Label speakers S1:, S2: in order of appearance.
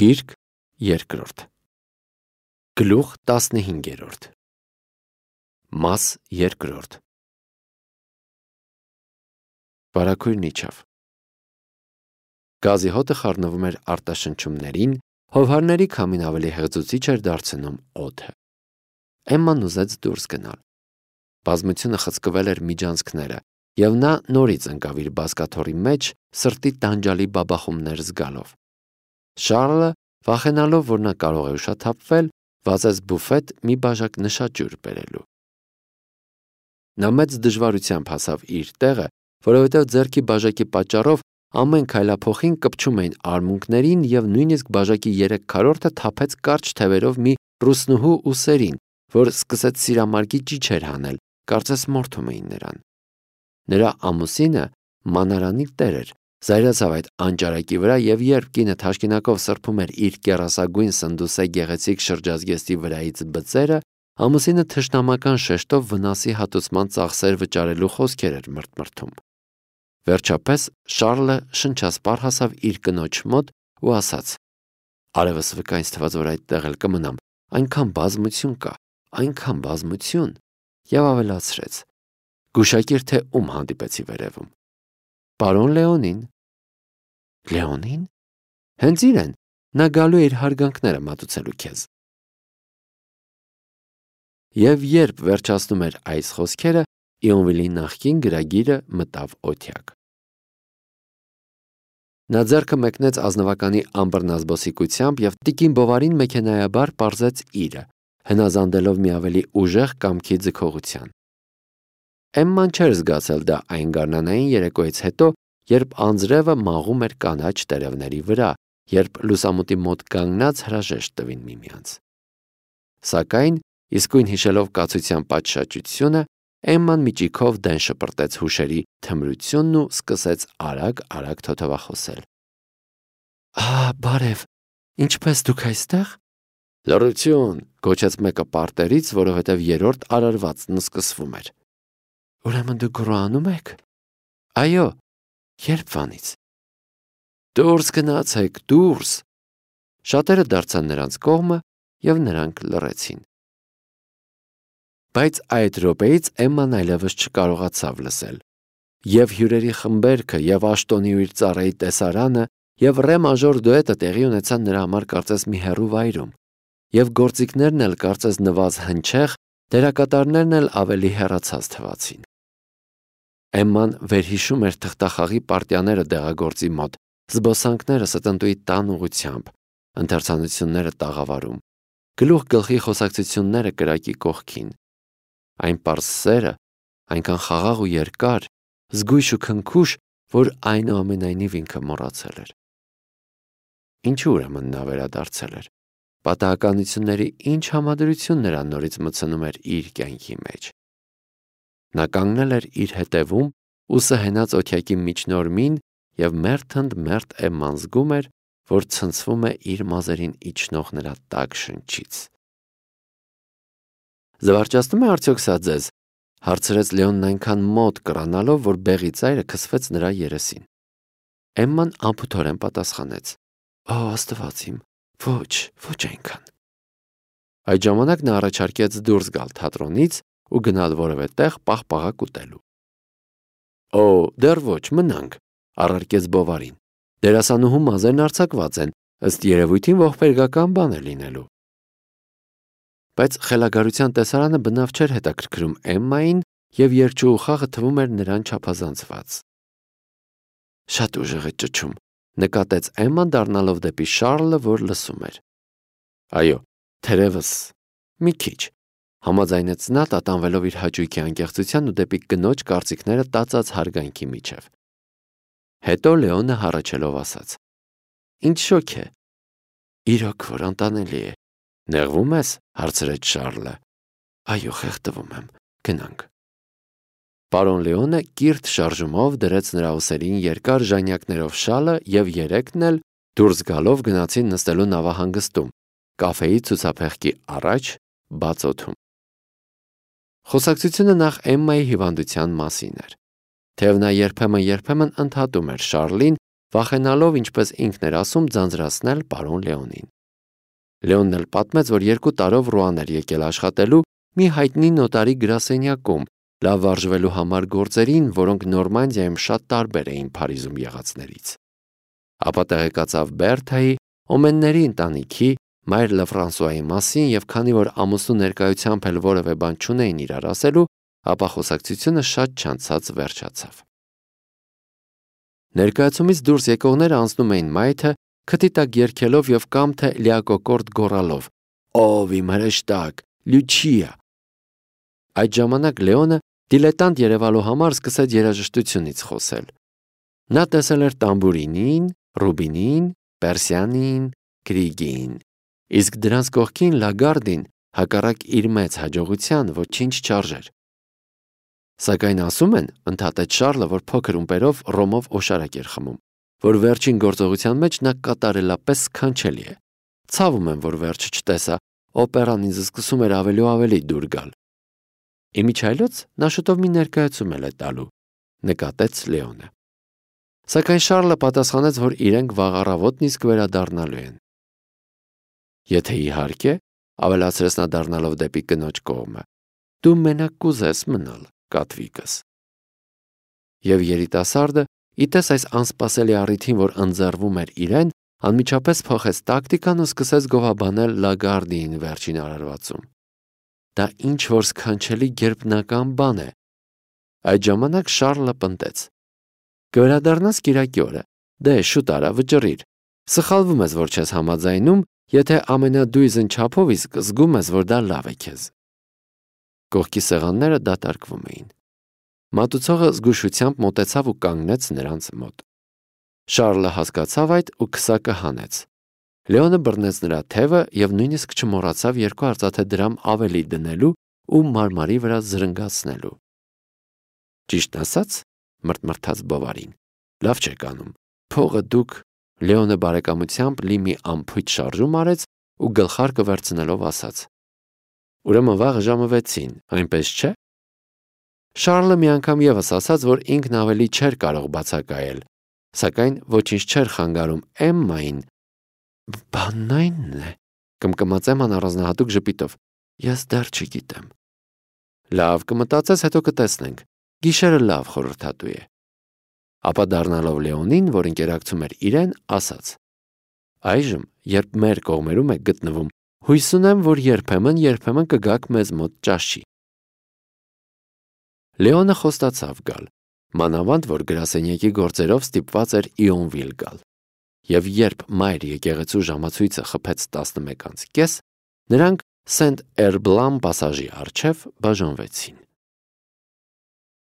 S1: Գիրք երկրորդ Գլուխ 15 Մաս երկրորդ Բարեգույրն իջավ։ Գազի հոտը խառնվում էր արտաշնչումներին, հովհարների քամին ավելի հեղձուցիչ էր դարձնում օդը։ Էմման ուզեց դուրս գնալ։ Բազմությունը խցկվել էր միջանցքները, և նա նորից ընկավ իր բազկաթոռի մեջ, սրտի տանջալի բաբախումներ զգալով։ Շառլը, վախենալով, որ նա կարող է ուշաթափվել, վազեց բուֆետ մի բաժակ նշաճյուր բերելու։ Նա մեծ դժվարությամբ հասավ իր տեղը, որովհետև ձեռքի բաժակի պատճառով ամեն քայլափոխին կպչում էին արմունկներին և նույնիսկ բաժակի 3/4-ը թափեց կարճ թևերով մի ռուսնուհու ուսերին, որ սկսեց սիրամարգի ճիչեր հանել, կարծես մորթում էին նրան։ Նրա ամուսինը մանարանի տեր էր, զայրացավ այդ անճարակի վրա, և երբ կինը թաշկինակով սրբում էր իր կեռասագույն սնդուսե գեղեցիկ շրջազգեստի վրայից բծերը, ամուսինը թշնամական շեշտով վնասի հատուցման ծախսեր վճարելու խոսքեր էր մրթմրթում։ Վերջապես Շառլը շնչասպառ հասավ իր կնոջ մոտ ու ասաց. «Արևս վկա, ինձ թվաց, որ այդտեղ էլ կմնամ, այնքան բազմություն կա, այնքան բազմություն», և ավելացրեց. «Գուշակիր, թե ում հանդիպեցի վերևում»։ «Պարոն Լեոնին»։ «Լեոնին»։ «Հենց իրեն, նա գալու է իր հարգանքները մատուցելու քեզ»։ Եվ երբ վերջացնում էր այս խոսքերը, Իոնվիլի նախկին գրագիրը մտավ օթյակ։ Նա ձեռքը մեկնեց ազնվականի ամբռնազբոսիկությամբ և տիկին Բովարին մեքենայաբար պարզեց իրը, հնազանդելով մի ավելի ուժեղ կամքի ձգողության։ Էմման չէր զգացել դա այն գարնանային երեկոյից հետո, երբ անձրևը մաղում էր կանաչ տերևների վրա, երբ լուսամուտի մոտ կանգնած հրաժեշտ տվին միմյանց։ Սակայն, իսկույն հիշելով կացության պատշաճությունը, Էմման միջիքով դեն շպրտեց հուշերի թմրությունն ու սկսեց արագ թոթվախոսել։ Բարև, ինչպե՞ս դուք այստեղ։ Լռություն, գոչեց մեկը պարտերից, որովհետև երրորդ արարվածն սկսվում էր։ Ուրեմն դուք գռոանում եք։ Այո, երբվանից։ Դուրս գնացեք, դուրս։ Շատերը դարձան նրանց կողմը, և նրանք լռեցին։ Բայց այդ րոպեից Էմման այլևս չկարողացավ լսել։ Եվ հյուրերի խմբերքը, և Աշտոնի ու իր ծառայի տեսարանը, և ռե մաժոր դուետը տեղի ունեցան նրա համար կարծես մի հեռու վայրում, և գործիքներն էլ կարծես նվազ հնչեղ, դերակատարներն էլ ավելի հեռացած թվացին։ Էմման վերհիշում էր թղթախաղի պարտիաները դեղագործի մոտ, զբոսանքները ստնտուի տան ուղղությամբ, ընթերցանությունները տաղավարում, գլուխ գլխի խոսակցությունները կրակի կողքին։ Այն պարզ սերը, այնքան խաղաղ ու երկար, զգույշ ու քնքուշ, որ այնուամենայնիվ ինքը մոռացել էր։ Ինչու ուրեմն նա վերադարձել էր։ Պատահականությունների ինչ համադրություն նրան նորից մտցնում էր իր կյանքի մեջ։ Նա կանգնել էր իր հետևում, ուսը հենած օթյակի միջնորմին, և մերթընդմերթ Էմման զգում էր, որ ցնցվում է իր մազերին իջնող նրա տաք շնչից։ Զվարճացնում է արդյոք սա ձեզ, հարցրեց Լեոնն այնքան մոտ կռանալով, որ բեղի ծայրը քսվեց նրա երեսին։ Էմման անփութորեն պատասխանեց. Ո Աստված իմ, ոչ այնքան։ Այդ ժամանակ նա առաջարկեց դուրս գալ թատրոնից ու գնալ որևէ տեղ պաղպաղակ ուտելու։ Դեռ ոչ, մնանք, առարկեց Բովարին։ Դերասանուհու մազերն արձակված են, ըստ երևույթին ողբերգական բան է լինելու։ Բայց խելագարության տեսարանը բնավ չէր հետաքրքրում Էմմային, և երգչուհու խաղը թվում էր նրան չափազանցված։ Շատ ուժեղ է ճչում, նկատեց Էմման դառնալով դեպի Շառլը, որ լսում էր։ Այո, թերևս, մի քիչ, համաձայնեց նա, տատանվելով իր հաճույքի անկեղծության ու դեպի կնոջ կարծիքները տածած հարգանքի միջև։ Հետո Լեոնը հառաչելով ասաց. Ինչ շոգ է։ Իրոք որ անտանելի է։ Նեղվում ես, հարցրեց Շառլը։ Այո, խեղդվում եմ, գնանք։ Պարոն Լեոնը կիրթ շարժումով դրեց նրա ուսերին երկար ժանյակներով շալը, և երեքն էլ դուրս գալով գնացին նստելու նավահանգստում, կաֆեի ցուցափեղկի առաջ, բաց օդում։ Խոսակցությունը նախ Էմմայի հիվանդության մասին էր։ Թեև նա երբեմն ընդհատում էր Շառլին, վախենալով, ինչպես ինքն էր ասում, ձանձրացնել պարոն Լեոնին։ Լեոնն էլ պատմեց, որ 2 տարով Ռուան էր եկել աշխատելու մի հայտնի նոտարի գրասենյակում, լավ վարժվելու համար գործերին, որոնք Նորմանդիայում շատ տարբեր էին Փարիզում եղածներից։ Ապա տեղեկացավ Բերթայի, Օմենների ընտանիքի, մայր Լեֆրանսուայի մասին, եւ քանի որ ամուսնու ներկայությամբ էլ որևէ բան չունեին իրար ասելու, ապա խոսակցությունը շատ չանցած վերջացավ։ Ներկայացումից դուրս եկողները անցնում էին մայթը, քթի տակ երգելով եւ կամ թե լիակոկորդ գոռալով. «Ով իմ հրեշտակ, Լյուչիա»։ Այդ ժամանակ Լեոնը դիլետանտ երևալու համար սկսեց երաժշտությունից խոսել։ Նա տեսել էր տամբուրինին, ռուբինին, պերսիանին, գրիգին, իսկ դրանց կողքին Լագարդին հակառակ իր մեծ հաջողության ոչինչ չարժեր։ Սակայն ասում են, ընդհատեց Շարլը, որ փոքր ումպերով ռոմով օշարակ էր խմում, որ վերջին գործողության մեջ նա կատարելապես սքանչելի է։ Ցավում եմ, որ վերջը չտեսա, օպերան ինձ սկսում էր ավելի ու ավելի դուր գալ։ Իմիջայլոց նա շուտով մի ներկայացում է տալու, նկատեց Լեոնը։ Սակայն Շարլը պատասխանեց, որ իրենք վաղ առավոտ նիսկ վերադառնալու են։ Եթե իհարկե, ավելացրեց նա դառնալով դեպի կնոջ կողմը, դու մենակ կուզես մնալ, Կատվիկս։ Եվ երիտասարդը, իտես այս անսպասելի առիթին, որ ընձեռվում էր իրեն, անմիջապես փոխեց տակտիկան ու սկսեց գովաբանել Լագարդին վերջին արարվածում։ Դա ինչ որ սքանչելի գերբնական բան է։ Այդ ժամանակ Շարլը պնդեց. Կվերադառնաս կիրակի օրը, դե շուտ արա, վճռիր։ Սխալվում ես, որ չես համաձայնում, եթե ամենադույզն չափով իսկ զգում ես, որ դա լավ է քեզ։ Կողքի սեղանները դատարկվում էին։ Մատուցողը զգուշությամբ մոտեցավ ու կանգնեց նրանց մոտ։ Շարլը հասկացավ այդ ու քսակը հանեց։ Լեոնը բռնեց նրա թևը եւ նույնիսկ չմոռացավ 2 արծաթե դրամ ավելի դնելու ու մարմարի վրա զրնգացնելու։ Ճիշտ ասած, մրթմրթաց Բովարին, լավ չեք անում։ Փողը դուք, Լեոնը բարեկամությամբ լի մի ամփոփ շարժում արեց ու գլխարկը վերցնելով ասաց. Ուրեմն վաղը ժամը 6-ին, այնպես չէ։ Շարլը մի անգամ եւս ասաց, որ ինքն ավելի չէր կարող բացակայել, սակայն ոչինչ չէր խանգարում Էմմային։ Բանն այնն է, կմկմաց Էմման առանձնահատուկ ժպիտով, ես դեռ չգիտեմ։ Լավ, կմտածես, հետո կտեսնենք։ Գիշերը լավ խորհրդատու է։ Ապա դառնալով Լեոնին, որ ընկերակցում էր իրեն, ասաց. Այժմ, երբ մեր կողմերում եք գտնվում, հույս ունեմ, որ երբեմն կգաք մեզ մոտ ճաշի։ Լեոնը խոստացավ գալ, մանավանդ որ գրասենյակի գործերով ստիպված էր Իոնվիլ գալ։ Եվ երբ մայր եկեղեցու ժամացույցը խփեց 11:30, նրանք Սենտ Էրբլան պասաժի առջև բաժանվեցին։